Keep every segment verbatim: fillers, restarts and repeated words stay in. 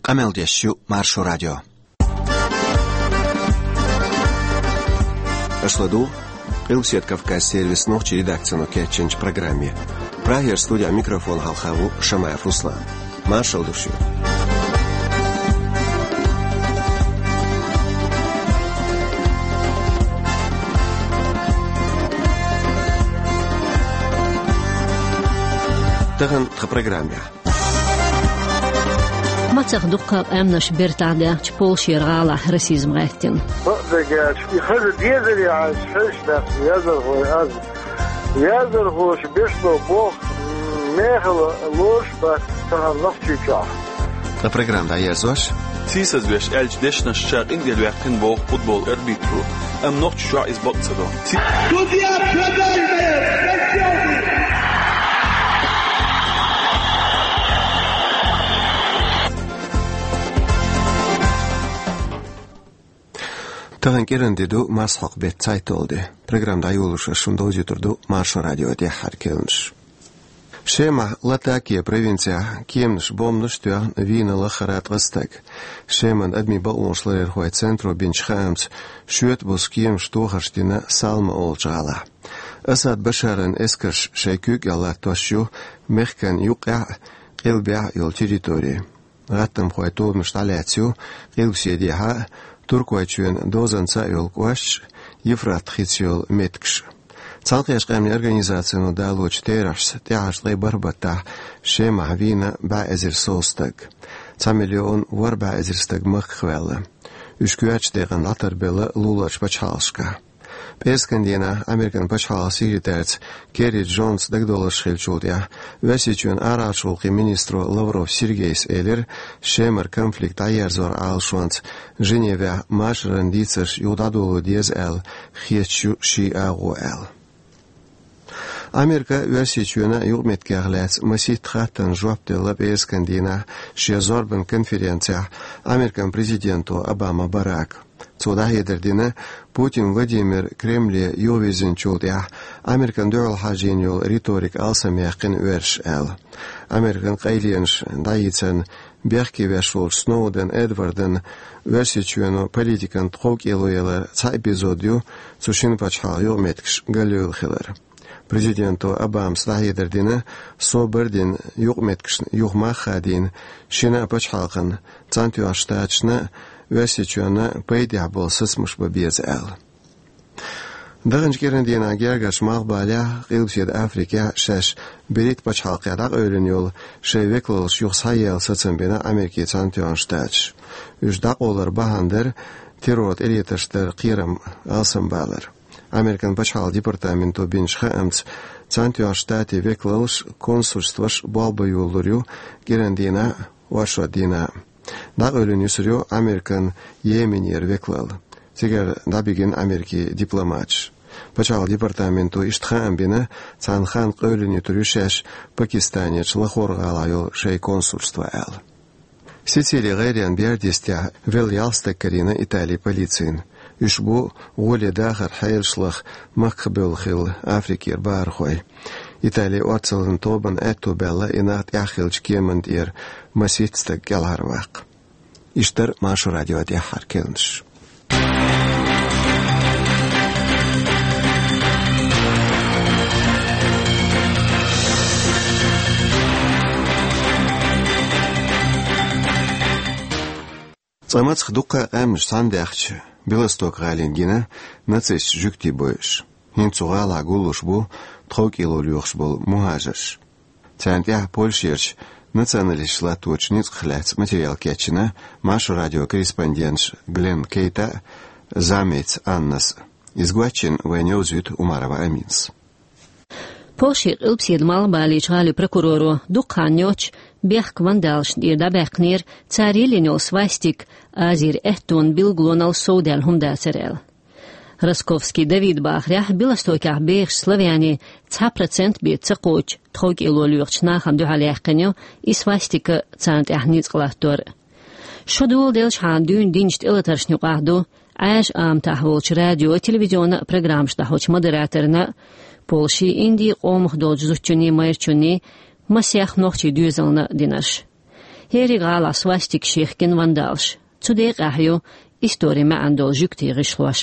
Къамел деш ю Маршо радио. Аша ладугӀу Къилбаседа Кавказ сервисан нохчийн редакцино кечйинчу программе. Прагера студехь микрофон хьалха ву Шамаев Руслан. Маршалла ду шуьга. Тахана тхан программехь. Мацах дуккха а къаьмнаш бертахь даьхначу Польшера гӀалахь расизм гӀаьттина. Бакъдерг аьлча, и хаза дезаре Ӏаш хьаьжча дац яздархой аз. Яздархоша бешло боху, мехала лоруш бац тахана Нохчийчохь. Ткъа программа дӀаерзош. Сийсазвеш аьллачу дешнашца къинтӀера ваьккхина боху футбол арбитро, амма Нохчийчохь иза бакъ ца до. Судья продажная! Тахана кӀиран де ду, марсхьокху беттан цхьайтталгӀа де. Программа дӀайолош ас шуна довзуьйтур ду Маршо радион тӀаьххьара керланаш. Шемахь Латакия провинцехь кеманаш бомбанаш а тоьхна вийна лаххара ткъа стаг. Шеман адамийн бакъонашларъярхойн центро бинчу хаамца, шоьтан буса кеманаш тохарш дина Салма олучу гӀалахь. Асад Башаран эскарш шайн куьйга латтош ю мехкан юккъехь а, къилбехь а йолу территори. ГӀаттамхойн тобанаш дӀалаьцна ю Къилбаседехьа а, Туркойчоьнан дозанца а йолу кӀошташ а, Евфрат-хица йолу меттигаш а. Цхьаьнакхеттачу Къаьмнийн Организацино далочу терахьца, тӀаьхьарчу ткъе бархӀ баттахь Шемахь вийна бӀе эзар сов стаг. Цхьа миллион ворхӀ бӀе эзар стаг махках ваьлла. Уьш коьртачу декъана дӀатарбелла луларчу пачхьалкхашкахь. ПӀераскан дийнахь Американ пачхьалкхан секретарца Керри Джонс дагадовларш хиллачул тӀаьхьа, Оьрсийчоьнан арахьарчу гӀуллакхийн министро Лавров Сергейс элира, Шемара конфликт дӀаерзоран Ӏалашонца Женевехь машаран дийцарш юха дӀадоло деза аьлла, хеташ ю ши агӀо аьлла. Америка а, Оьрсийчоьнан а юкъаметтигех лаьцна масийтта хаттарна жоп делла пӀераскан дийнахь шен зорбанан конференцехь Американ президенто Обама Барака. Цо дӀахьедар дина Путин Владимир Кремле юхавирзинчул тӀаьхьа Американа дуьхьал хьажийна йолу риторика алсамъяьккхина оьрсаша аьлла. Американ къайленаш дӀайийцарна бехке веш волчу Сноуден Эдвардан Оьрсийчоьно политикан тховкӀело яларан цхьа эпизод ю цу шина пачхьалкхан юкъаметтигаш галъевлла хилар. Президенто Обамас дӀахьедар дина, собар а дина, юкъаметтигашна юха мах а хадийна, шина а пачхьалкхана, Цхьаьнатоьхначу Штаташна а, Оьрсийчоьнна а пайдехь болу сацамаш бан беза аьлла. Даханчу кӀиран дийнахь гергарчу Малхбалехь а, Къилбаседа Африкехь а шаьш берриг а пачхьалкхехь дӀакъевлина йолу шайн векалаллаш юха схьаелла сацам бина Америкин Цхьаьнатоьхначу Штаташа. Уьш дӀакъовларан бахьана дара террор тӀелетарш даран кхерам алсамбалар. Американ пачхьалкхан департаменто бинчу хаамца, Цхьаьнатоьхначу Штатийн векалаллаш а, консульстваш а болх бан йолалур ю кӀиран дийнахь а, оршот дийнахь а. ДӀакъевлина юьсур ю Американ Йеменера векалалла. Цигара дӀабигина Америкин дипломаташ. Пачхьалкхан департаменто иштта хаам бина, цхьана ханна къевлина юьтур ю шаьш Пакистанерчу Лахор-гӀалахь йолу шайн консульство аьлла. Сицилин гӀайренан бердистехь велла ялх стаг карийна Италин полицина. Уьш бу гӀоле дахаран хьелаш лаха махках бевлла хилла Африкера бахархой. Италин орцаллин тобанна аьтто баьлла и нах тӀаьхьа хиллачу кеманна тӀера масийтта стаг кӀелхьарваккха. Иштта дара Маршо радион тӀаьххьара керланаш. Цкъа мацах дуккха а къаьмнаш цхьаьна даьхча, Белосток-гӀалина гина нацистийн жуьгтийн бойъуш. ХӀинца цу гӀалахь гуллуш бу тховкӀело лоьхуш болу мухӀажарш. Царна тӀехь Польшерчу националисташа латточу ницкъах лаьцна материал кечйина Маршо радион корреспонденташа Глен Кейта а, Замеца Аннас а. Иза гочйина вайна йовзуьйту Умарова Аминас. Польшин Къилбаседа Малхбалерчу гӀалин прокуроро дукха хан йоццуш бехк вандалашна тӀера дӀабаьккхинера цара йиллина йолу свастика Азера аьттонан билгалонал совдаьлла хӀума дацара аьлла. Росковский Давида бахарехь, Белостокехь бехачу славянийн цхьа процент бен ца кхочу тховкӀело лоьхучу нахана дуьхьал яьккхина ю и свастика, царна тӀехь ницкъ латтор. Шо доладелчхьана дуьйна динчу тӀелатаршна юкъахь ду Ӏаьржа аматахь волчу радион, телевизионан а программаш дӀахьочу модераторна а, Польшин, Индин къомах долчу зудчунний майрачунний, масех нохчийн доьзална а динарш. ХӀериг гӀалахь свастикаш ехкина вандалаш. Цу декъехь ю историн маьӀна долу жуьгтийн гӀишлош.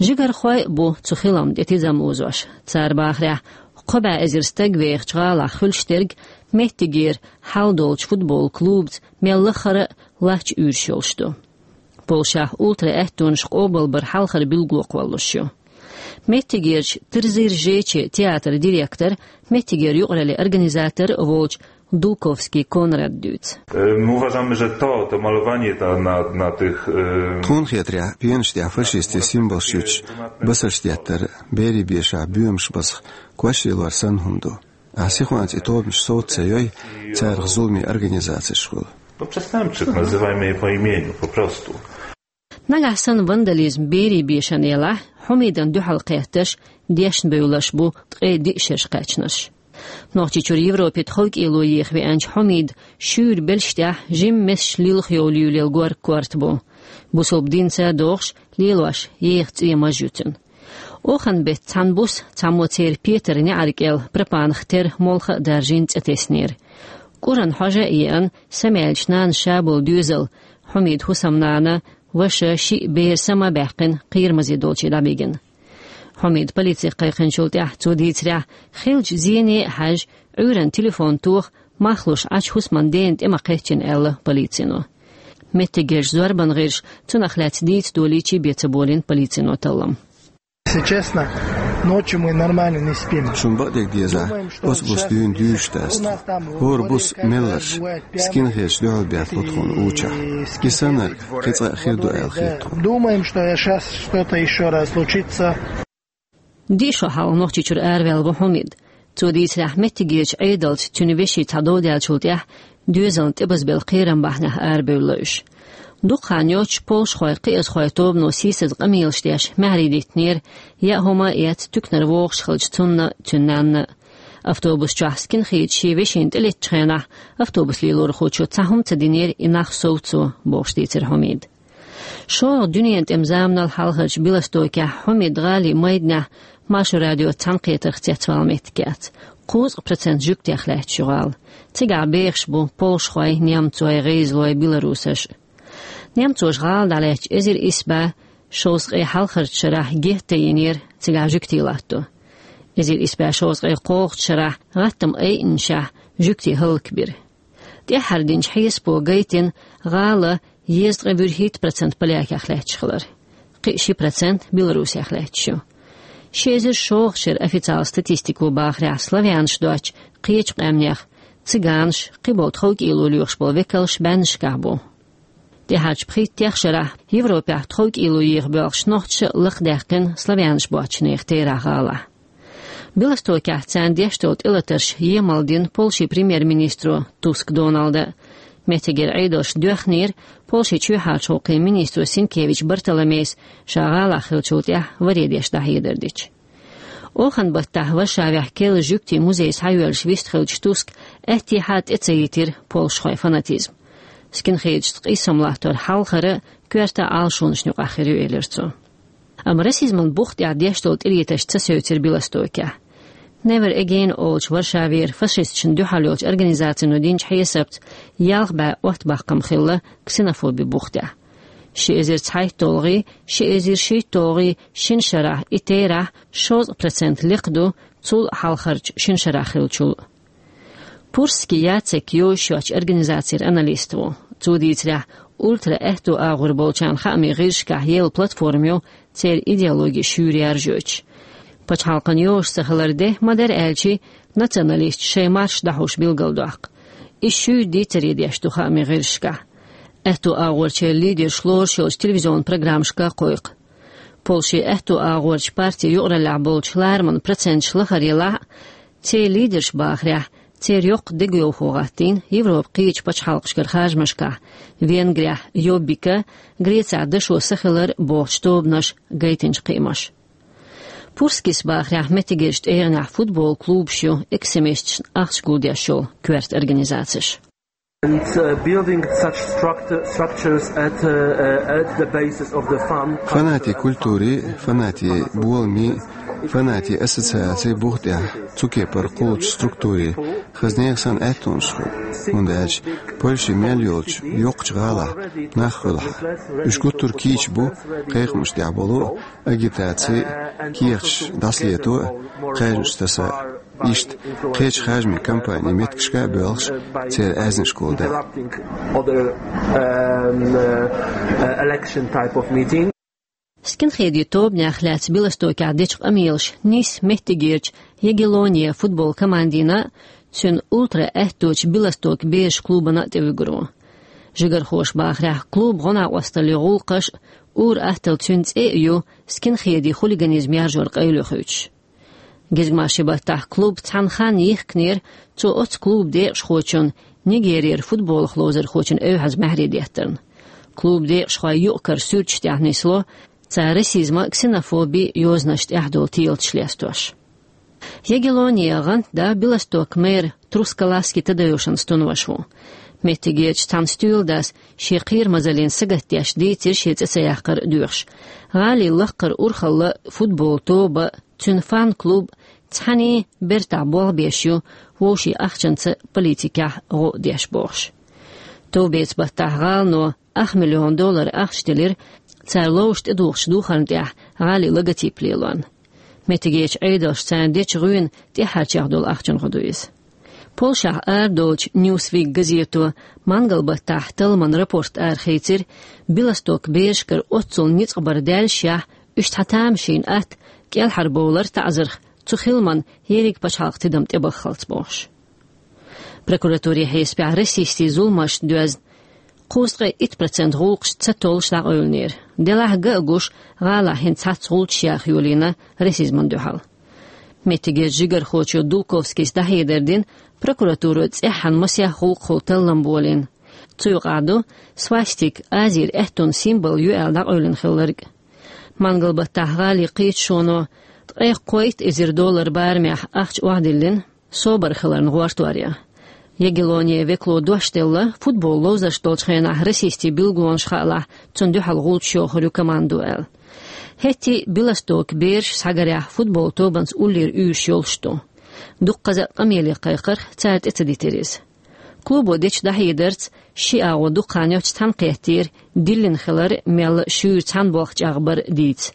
Жигархой а бу цу хиламна тӀе тидам лозош. Цара бахарехь, кхо бӀе эзар стаг вехачу гӀалахь хуьлуш дерг меттигера хьал долчу футбол клубаца мел лаххара а лач уьйраш йолуш ду. Польшахь ультра-аьттонаш къобалбар хьалхара билгало кхоллалуш ю. Меттигерчу Трзир-Жече театран директор, меттигера юкъараллин организатор волчу Дулковский Конрад дуьйцу. Е, мы уважаем же то, то малювание на, на тих. Е... Тхуна хетарехь, пенаш тӀехь фашистийн символаш юьтуш басарш деттар, берийн бешахь боьмаш базах кош лелор санна хӀума ду. Ахь сихонца и тобанаш совца ца йой, царах зуламийн организацеш хуьлу. Ну, представим, как называемые по имени, попросту. Нагахь санна вандализм берийн бешана елахь, Хьумидан дуьхьал кхеттарш дешна бевлларш бу ткъе диъ шераш кхаьчнарш. Нохчийчуьра Европе тховкӀело еха веанчу Хьумида шуьйра белш тӀехь жимма месаш лилха йовлуьйлел гор корта бу. Бусалба динца а догӀуш, лелош еха цӀе маж ю цуьнан. Оханан беттан цхьана буса цхьаммо церан петар неӀарга кӀел пропанах тера молха а даржийна цӀе теснера. КӀуран хьожа а еана, самаьллачу нанас ша болу доьзал, Хьумидан хӀусамнана, ваша, шиъ бер сама а баьккхина, кхерамазе долчу дӀабигина. Хьумида полице кхайкхинчул тӀаьхьа, цо дийцарехь, хиллачу зене а хьаьжжа, Ӏуьйранна телефон тоха, мах луш Ӏачу хӀусаман дена тӀе ма кхеччина аьлла полицино. Меттигерчу зорбан гӀирсаша цунах лаьцна дийца долийча бен ца болийна полицино таллам. Если честно, ночью мы нормально не спим. Шуна бакъдерг деза, оцу буса дуьйна дуьйш дац тхо. ХӀора буса мелларш, скинхедаш дуьхьал баьхкина тхуна учахь. И саннарг кхин цкъа а хир ду аьлла хета тхуна. Думаем, что я щас что-то ещё раз случится. Диъ шо хьалха Нохчийчуьра араваьлла ву Хьумид. Цо дийцарехь, меттигерчу Ӏедалца цуьнан вешин цхьа дов даьллачул тӀаьхьа доьзална тӀебазбелла кхерам бахьанехь арабевлла уьш. Дукха хан йоццуш польшахойн кхиазхойн тобано сийсаза къамелаш деш маьхьарий диттинера, яа хӀума а эцна туьканара вогӀуш хиллачу цунна а, цуьнан нанна а. Автобус чохь скинхедаш шен вешина тӀелеттачу хенахь автобус лелорхочо цхьа хӀума ца динера и нах совцо, бохуш дийцира Хьумида. ШолгӀа дуьненан тӀеман заманал хьалхарчу Белостокехь Хьумид гӀалин майданехь Маршо радиоца цхьаьнакхетарх цецвала меттиг яц. Кхузткъа процент жуьгтех лаьтташ ю гӀала. Цигахь бехаш бу польшахой, немцой, гӀайзалой, белорусаш. Немцоша гӀала дӀалаьцча эзар исс бӀе шовзткъе хьалхарчу шарахь геттара йинера цигахь жуьгтийн латто. Эзар исс бӀе шовзткъе кхоалгӀачу шарахь гӀаттаман айинашехь жуьгтий хӀаллакбира. ТӀаьххьара динчу хьесапо гайтина гӀала езткъе вуьрхӀитта процент полякех лаьтташ хилар. Кхин а ши процент Беларусех лаьтташ ю. Ши эзар шолгӀачу шеран официалан статистико бахарехь, славянаш доцчу кхечу къаьмнех, цыганаш, кхиболу тховкӀело лоьхуш болу векалш бӀеннашкахь бу. ТӀаьххьарчу пхийттех шарахь Европехь тховкӀело еха боьлхуш нохчаша а лакхадаьккхина славянаш боцчу нехан терахь гӀалахь. Белостокехь царна деш долу тӀелатарш емал дина Польшин премьер-министро Туск Доналда. Меттигера Ӏедалша доьхнера Польшин чоьхьарчу гӀуллакхийн министро Синкевич Бартоломейс ша гӀалахь хиллачул тӀаьхьа варе деш дӀахьедар дича. Оханан баттахь Варшавехь керла жуьгтийн музей схьайоьллуш вистхиллачу Туск аьттехьа тӀе ца йитира польшахойн фанатизм. Скинхедашца къийсам латтор хьалхара а, коьрта а Ӏалашонашна юкъахь хир ю, элира цо. Амма расизман бух тӀехь деш долу тӀелатарш ца севцира Белостокехь. Never Again олучу Варшавера фашисташна дуьхьал йолчу организацино динчу хьесапца ялх бӀе оттабаккхам хилла ксенофобин бух тӀехь. Ши эзар цхьайтталгӀий, ши эзар шийтталгӀий шина шарахь и терахь шовзткъа процент лекха ду цул хьалхарчу шина шарахь хиллачул. Пурский Яцек йозуш йоцчу организацера аналист ву. Цо дийцарехь, ультра-аьтту агӀор болчарна хаамийн гӀирсашкахь елла платформа ю церан идеологи шуьйра яржойтуш. Пачхьалкхана йозуш ца хилар де, ма-дарра аьлча, националисташ шайн маршаш дӀахьуш билгалдоккху. Иза шуьйра дийцаре деш ду хаамийн гӀирсашкахь. Аьтту агӀорчеран лидерш лоруш йолчу телевизионан программашка а кхойкху. Польшин аьтту агӀорчу партин юкъараллехь болчу лараман проценташ лахара елахь а, церан лидерш бахарехь, церан йоккха дегайовхо гӀаттийна Европан кхечу пачхьалкхашкара харжамашкахь, Венгрехь Йоббика, Грецехь Дашо са хилар бохучу тобанаша гайтинчу кхиамаша. Пурскис бахарехь, меттигерчу тӀегӀанехь футбол клубаш ю экстремисташна ахча гулдеш йолу коьрта организацеш. And uh, building such structure, structures at, uh, uh, at the basis of the fun. Фанатийн культурий, фанатийн боламий, Фанатийн ассоциацийн бух тӀехь цу кепара кхуллучу структурийн хаза нехан санна аьттонаш хуьлу, хӀунда аьлча Польши мел йолчу йоккхачу гӀалахь нах хуьлу хьан. Уьш гуттар а кийча бу кхайкхамаш тӀехь болу а, агитаци а, кехаташ дӀасалето а, кхаьжнаш таса а. Иштта кхечу харжамийн кампанийн меттигашка а боьлхуш, церан аьзнашкахула даьа. Other, um, uh, uh, election type of meeting. Скинхедийн тобанех лаьцна Белостокехь дечу къамелаша нисса меттигерчу Ягеллония футбол командина а, цуьнан ултра аьтточу Белосток бераш клубана а тӀевуьгур ву. Жигархоша бахарехь, клубан гӀо-накъосталлин гӀуллакхаш а, ур-атталла цуьнан цӀе а ю скинхедийн хулиганизм яржоран къайле хуьйцуш. Гезгмашин баттахь клуб цхьана ханна йихкинера, цо оццу клубан декъашхочунна, Нигерера футболах ловзархочунна эвхьаза маьхьарий деттарна. Клубан декъашхой юкъ-кара суьрташ тӀехь нисло, цара расизма а, ксенофоби а йозанашна тӀехь долу телаташ лестош. Ягеллония гӀантда Белосток мэр Трускаласки Тадеушан стунваш ву. Меттигерчу цхьана стоьладас шен кхерамазаллина сагатдеш дийцира шен цӀе ца яккхар а доьхуш. ГӀалин лаккхара урхалла а, футбол тоба а, цуьнан фан-клуб а цхьаьний бертахь болх беш ю, вовшийн ахчанца политикехь гӀо а деш бохуш. Товбецан баттахь гӀалано ах миллион доллар ахча делира, цара ловзуш тӀедухучу духарна тӀехь гӀалин логотип лелорна. Меттигерчу Ӏедалша царна дечу гӀуьнан тӀаьхьарчех долу ахчанан гӀо ду иза. Польшахь арадолучу Newsweek газето мангал баттахь талламан рапорт арахийцира, Белосток берашкара оццул ницкъ бар даьллашехь, уьш цхьа тамашийна атта кӀелхьарбовлар таӀзарх цу хиламан ерриг пачхьалкхан тидам тӀебаххалц бохуш. Прокуратурин хьесапехь расистийн зуламашна доьзна кхузткъе итт процент гӀуллакхаш ца толлуш дӀакъевлинера. Делахь ган а гуш, гӀалахь хӀинца цхьацца гӀулчаш яха йолийна расизмана дуьхьал. Меттигерчу жигархочо Дулковскийс дӀахьедар дина, прокуратуро цӀеххьана масех гӀуллакхахула таллам болийна. Цу юкъахь ду свастик, Азера аьттонан символ ю аьлла дӀакъевлина хилларг. Мангал баттахь гӀалин кхеташоно ткъе кхойтта эзар доллар барамехь ахча охьадиллина, собар хиларна гӀортор ян. Ягеллония векало дош делла, футбол ловзарш долчу хенахь расистийн билгалонаш хаалахь, цунна дуьхьал гӀулчаш йохур ю командо аьлла. ХӀетте а Белостокан бераш схьагарехь футбол тобанца уллера уьйраш йолуш ду. Дуккхаза а къамеле кхайкхарх цара тӀе ца дитира иза. Клубо дечу дӀахьедарца, ши агӀо дукха хан йоццуш цхьаьна кхеттера, диллина хилар а, мелла а шуьйра цхьаьна болх чӀагӀбар а дийца.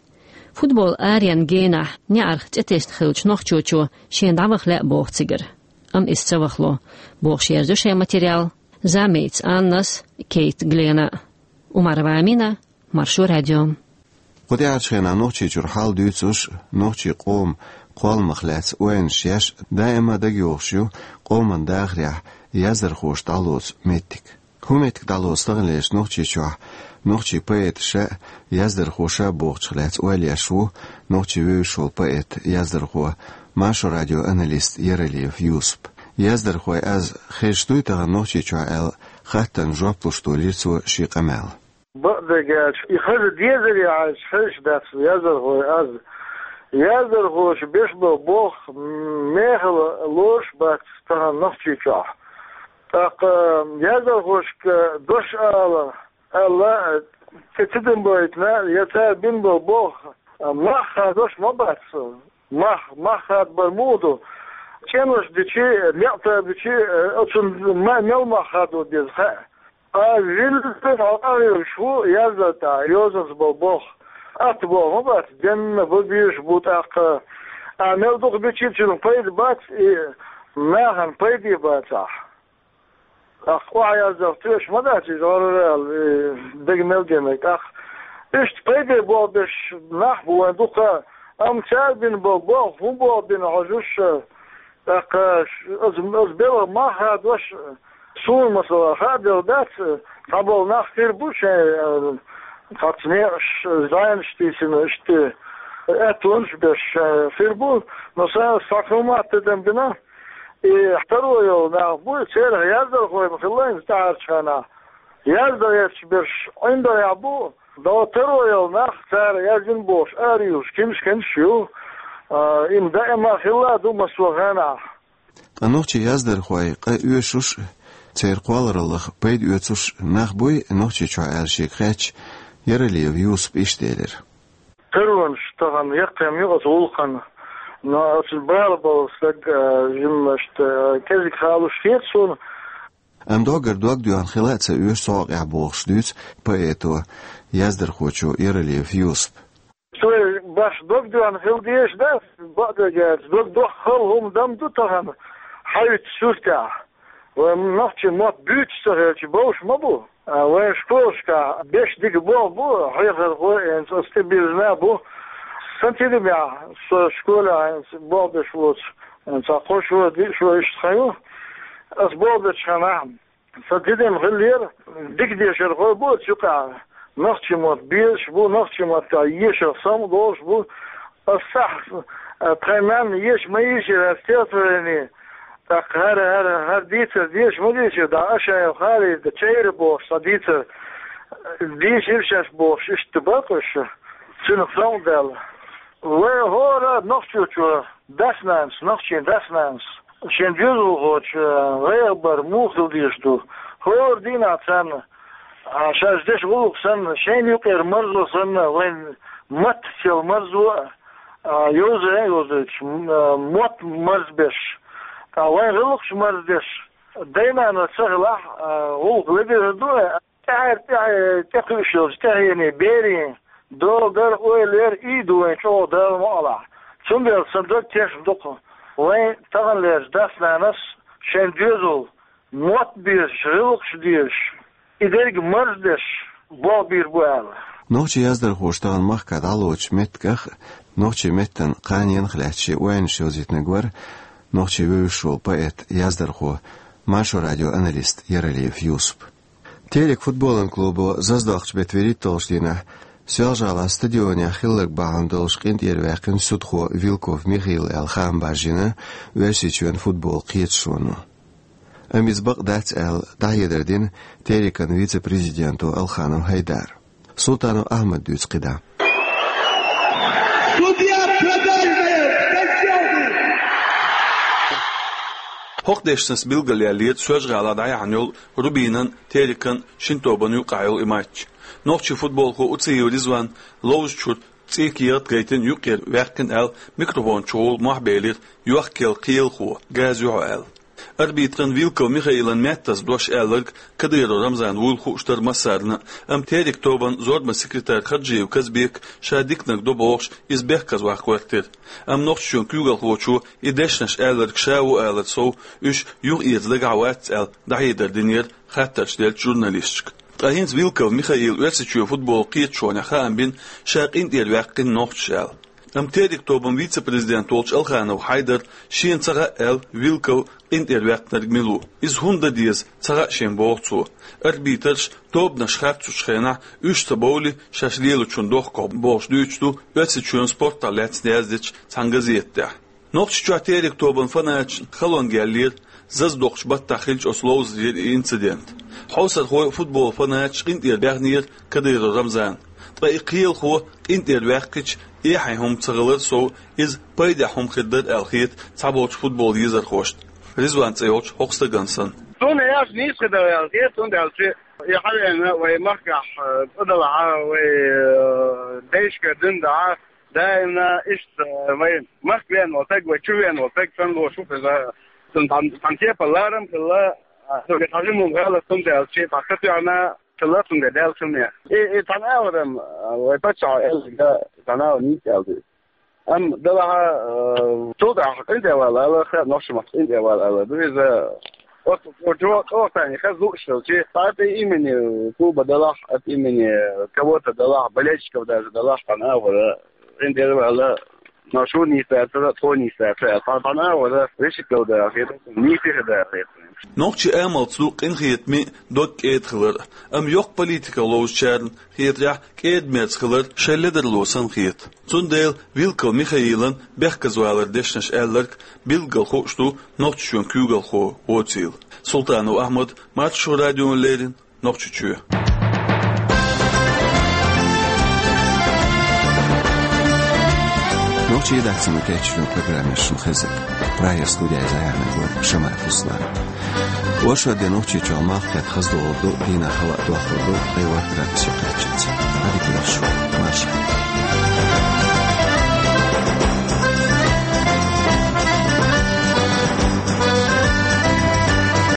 Футбол аренан генахь неӀарх цӀе тесна хиллачу нохчочо шена дӀаваха лаьа боху цигара. Амма иза ца вахало, бохуш, ерзо шайн материал Замейц Аннас, Кейт Глена. Умарова Амина, Маршо радио. Кху тӀаьхьарчу хенахь Нохчийчуьра хьал дуьйцуш, нохчийн къоман кхолламах лаьцна ойланаш еш, даима дагайогӀуш ю къоман дахарехь яздархоша дӀалоцу меттиг. ХӀун меттиг дӀалоцу таханлерчу Нохчийчохь нохчийн поэташа а, яздархоша а бохучух лаьцна ойла еш ву Нохчийн вевзаш волу поэт, яздархо, Маршо радион аналист Яралиев Юсуп. Яздархой аз хезаш дуй тахана Нохчийчохь аьлла, хаттарна жоп луш долийра цо шен къамел. Бакъдерг аьлча, и хаза дезаре хьаьжча, хезаш дац яздархой аз. Яздархоша беш болу болх мехала лоруш бац тахана Нохчийчохь. ТӀаккха яздархошка дош ала, аьлла, ца, ца дина байтина, я цара бина болу болх мах хадош ма бац. Мах, мах хадабар муха ду? ЦӀенош дичи, некъ тӀе бичи, оцунна ма-, мел мах хадо деза хаьа. А вилла хьо къахьоьгуш ву яздан тӀехь йозанца болу болх. Атта болх ма бац, денна бан безаш бу тӀаккха. А мел дукха бичи, цуьнан пайда бац, и нахана пайде бацахь. ТӀаккха охьаяздарх тоьаш ма дац иза, гӀарра аьлла, и дага мел денарг. ТӀаккха иштта пайде болх беш нах бу вайн дукха, амма цара бина болу болх хӀун болх бина хьожуш, тӀаккха ш-, ас, ас белхан мах хадош, суна, масала, хаа делла дац, цхьаболу нах хир бу шайн, э, цхьацца некъаш, зӀенаш тийсина, иштта, аьттонаш беш, э, хир бу, но сан схьа хӀума тидам бина, и таро йолу нах бу, церах яздархой ма хилла хӀинца тӀаьхьарчу хенахь. Яздан гӀерташ берш ӀиндагӀехь бу, но таро йолу нах, цара яздина бохуш, араюьйлуш, кемсаш-кемсаш ю, а, им даима хилла а ду массо а хенахь. Ткъа нохчийн яздархой къа оьшуш, церан кхоллараллах пайда оьцуш нах буй Нохчийчохь аьлла шега хаьттича, Яралиев Юсупа иштта элира. Таронаш тахана яккхий ма ю оцу гӀуллакхана. Но оцу бала болу стаг, а, жиммашта, а, кӀезиг халуш хета суна. Амма доггара дог доьхна хила а ца оьшу цу хьокъехь бохуш дуьйцу поэто, яздархочо Яралиев Юсупа. Цо баш дог доьхна хила дезаш дац, бакъдерг аьлча, дог дохка хала хӀума дам ду тахана хьаьвзачу суьртехь. Вайн нохчийн мотт буьйцуш ца хилча, бовш ма бу. А, вайн школашкахь беш дика болх бу, хьехархо а, хӀинца аса тӀебирзина а бу. Сан тидамехь, со школехь хӀинца болх беш воцу, хӀинца кхо шо, диъ шо иштта хан ю. Аса болх бечу хенахь, сан тидам хиллера, дика дешархой бу оцу юкъахь. Нохчийн мотт безаш бу, нохчийн маттахь ешарх самукъадолуш бу. Аса сахь, а, тхайн нанна еша ма йийшира хӀара стихотворени, тӀаккха хӀара, хӀара, хӀара дийцар деша ма дийшира, дӀа Ашаев Халида «Чайра» бохуш цхьа дийцар дийшира шаьш бохуш, иштта бакъ уьш, цуьнах самукъадаьлла. Вай хӀора нохчочо, дас-нанас, нохчийн дас-нанас, шен доьзалхочун гӀайгӀа бар муха хила дезаш ду? ХӀора дийнахь царна, а, шаьш деш гӀуллакх санна, шайна юкъера марзо санна, вайн маттаца йолу марзо а, а, йовза а йовзуьйтуш, м-, а, мотт марзбеш, ткъа вайн гӀиллакхаш марздеш, дай-нана ца хилахь, а, гӀуллакх ледара ду, а, тӀаьхьара тӀе-, тӀекхуьуш йолчу тӀаьхьенийн берийн дола дара, ойла яра, и ду вайн чӀогӀа Дала мукъалахь. Цундела сан дог тешна ду-кх, вайн таханлерчу дас-нанас шайн доьзал мотт безаш, гӀиллакхаш дезаш, и дерг марздеш болх бийр бу аьлла. Нохчийн яздархоша тахана махкахь дӀалоцучу меттигах а, нохчийн меттан кханенах а лаьцна шен ойланаш йовзийтинарг вара нохчийн вевзаш волу поэт, яздархо, Маршо радион аналист Яралиев Юсуп. Терек футболан клубо заздоккхучу беттан вуьрхӀитталгӀачу дийнахь Соьлжа-ГӀалахь стадионехь хилларг бахьана долуш къинтӀера ваьккхина судхо Вилков Михаил аьлла хаам баржийна Оьрсийчоьнан футболан кхеташоно. Амма иза бакъ дац аьлла, дӀахьедар дина Терекан вице-президенто Алханов ХӀайдара. Султанов Ахьмада дуьйцу кхидӀа. Судья продажная, скачал! ХӀокху дешнашца билгалъяьллера Соьлжа-ГӀалахь дӀаяьхьна йолу Рубинан, Терекан шина тобанна юккъехь йолу и матч. Нохчийн футболхо Уциев Ризван ловзачуьра цӀийкегӀат гайтина юккъера ваьккхина аьлла, микрофон чухула мохь белира йохкаелла кхелахо, газа ю хьо аьлла. Арбитран Вилков Михаилан меттаза дош аьлларг Кадыров Рамзана вуйла хууш дара массарна а, амма Терек тобанан зорбанан секретарь Хаджиев Казбека ша диканиг до бохуш, иза бехказваккха гӀоьртира. Амма Нохчийчоьнан куьйгалхочо и дешнаш аьлларг ша ву алар сов, уьш юхаэца дагахь вац аьлла, дӀахьедар динера хаттарш деллачу журналисташка. Ткъа хӀинца Вилков Михаила Оьрсийчоьнан футболан кхеташонехь хаам бина, ша къинтӀера ваьккхина нохчаша аьлла. Амма Терек тобанан вице-президент волчу Алханов ХӀайдара шена ца хаьа аьлла, Вилков къинтӀера ваьккхинарг мила ву, иза хӀунда дан деза ца хаьа шена, боху цо. Арбитраш тобанаш харцучу хенахь уьш ца бовлий, шаьш лелачун дохко, бохуш дуьйцуш ду Оьрсийчоьнан спортах лаьцна яздечу цхьана газета тӀехь. Нохчийчохь Терек тобанан фанаташна халонга яьллера заздоккхучу баттахь хиллачу оцу ловзарера и инцидент. Хьовсархой а, футболан фанаташ а къинтӀера баьхнера Кадыров Рамзан. Ткъа и кхелахо къинтӀера ваьккхича, эхье хӀума ца хилар сов, иза пайдехь хӀума хир дара аьлла хета цхьаболчу футболан езархошна, Ризван цӀе йолчу хӀокху стагана санна. Суна яш нийса хир дара аьлла хета, цундела и хьавеана вай махкахь, э, цӀа далахь, вай, э, дайшка дина дахьа, даимна иштта, э, вай махка веана волу стаг, вай чу веана волу стаг санна лоьхуш ву иза. Цунна тхан, тхан кепара ларам а хилла, а, цуьнга тхан жимма гӀалат хӀума даьлча, тхан катоьхна хилла цуьнга даьлла хӀума. И, и тхан агӀор-м, а, вай паччахьо аьлларг, тхан агӀор нийса аьлла ду. Амма далахь, э, цул тӀаьхьа къинтӀера вала ала, хаа нохчийн маттахь къинтӀера вала ала ду иза. Оцу, оцу чо-, чӀогӀа тайна хаза лууш хилча, цхьа тӀе имени клуба далахь, от имени кого-то далахь, болельщиков даже далахь, тхан агӀор къинтӀера вала, но шу нийса дацара, тхо нийса дацара, тхан, тхан агӀор вешик дала дара хета, нийса хир дара хета. Нохчийн амалца ду къинхетаме а, дог кӀеда хилар а, амма йоккха политиках ловзучарна хетарехь, кӀеда-мерза хилар шайн ледарло санна хета. Цундела Вилков Михаилан бехказваларан дешнаш аьлларг билггал хууш ду Нохчийчоьнан куьйгалхо воцийла. Султанов Ахьмад, Маршо радиона леррина, Нохчийчоь. Нохчийн редакцино кечйина программа шуна хезира. Прагера студехь зӀе яьхьнарг вара Шамаев Руслан. Оршот де Нохчийчохь малх кхетта хаза догӀур ду, дийнахь хала а дохлур ду, ткъе ворхӀ градусе кхаччалц. Ӏадика йойла шун, марша.